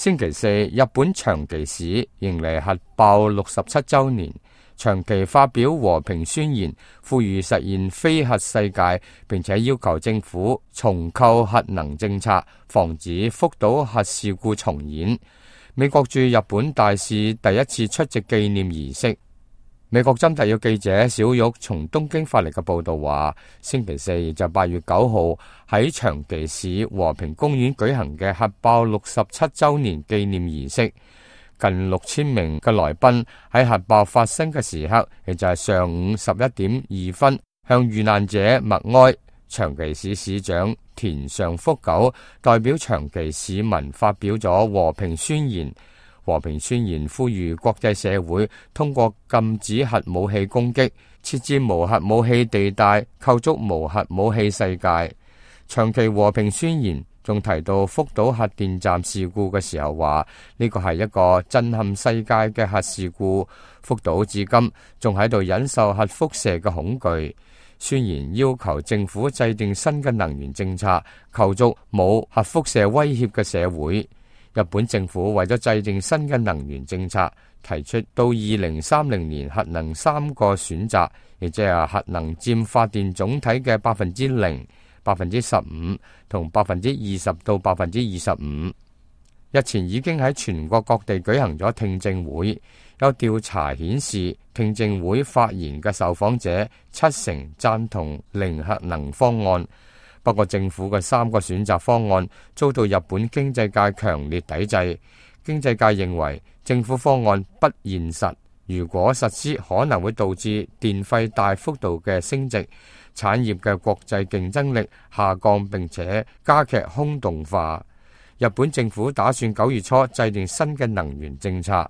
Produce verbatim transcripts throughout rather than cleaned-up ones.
星期四，日本長崎市迎嚟核爆六十七週年，長崎發表和平宣言，呼籲實現非核世界，並且要求政府重構核能政策，防止福島核事故重演。美國駐日本大使第一次出席紀念儀式。美國針特約記者小玉從東京發嚟嘅報道話，星期四就八月九號喺長崎市和平公園舉行嘅核爆六十七週年紀念儀式，近六千名嘅來賓喺核爆發生嘅時刻，亦就係上午十一點二分，向遇難者默哀。長崎市市長田上福久代表長崎市民發表咗和平宣言。和平宣言呼籲國際社會通過禁止核武器攻擊，設置無核武器地帶，構築無核武器世界。長崎和平宣言仲提到福島核電站事故嘅時候話，呢個係一個震撼世界嘅核事故，福島至今仲喺度忍受核輻射嘅恐懼。宣言要求政府制定新嘅能源政策，構築冇核輻射威脅嘅社會。日本政府為咗制定新嘅能源政策，提出到二零三零年核能三個選擇，亦即係核能佔發電總體嘅百分之零、百分之十五同百分之二十到百分之二十五。日前已經喺全國各地舉行咗聽證會，有調查顯示，聽證會發言嘅受訪者七成贊同零核能方案。不過政府嘅三個選擇方案遭到日本經濟界強烈抵制。經濟界認為政府方案不現實，如果實施可能會導致電費大幅度嘅升值，產業嘅國際競爭力下降，並且加劇空洞化。日本政府打算九月初制定新嘅能源政策。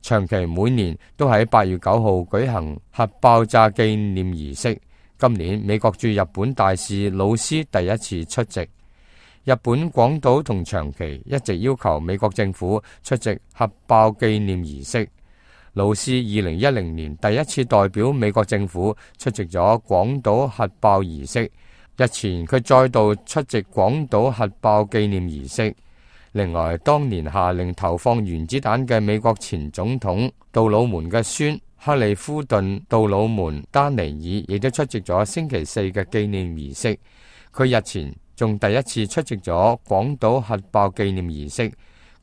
長崎每年都喺八月九號舉行核爆炸紀念儀式。今年美國駐日本大使魯斯第一次出席。日本廣島同長崎一直要求美國政府出席核爆紀念儀式。魯斯二零一零年第一次代表美國政府出席咗廣島核爆儀式，日前佢再度出席廣島核爆紀念儀式。另外，當年下令投放原子彈嘅美國前總統杜魯門嘅孫克利夫頓杜魯門丹尼爾亦都出席咗星期四嘅紀念儀式。佢日前仲第一次出席咗廣島核爆紀念儀式。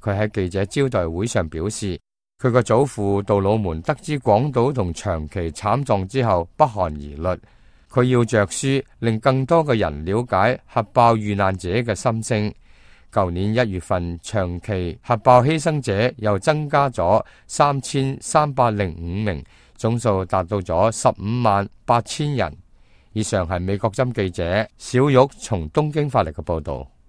佢喺記者招待會上表示，佢個祖父杜魯門得知廣島同長崎慘狀之後不寒而慄，佢要着書令更多嘅人了解核爆遇難者嘅心聲。舊年一月份，長崎核爆犧牲者又增加咗三千三百零五名，總數達到咗十五萬八千人。以上係美國針記者小玉從東京發嚟嘅報道。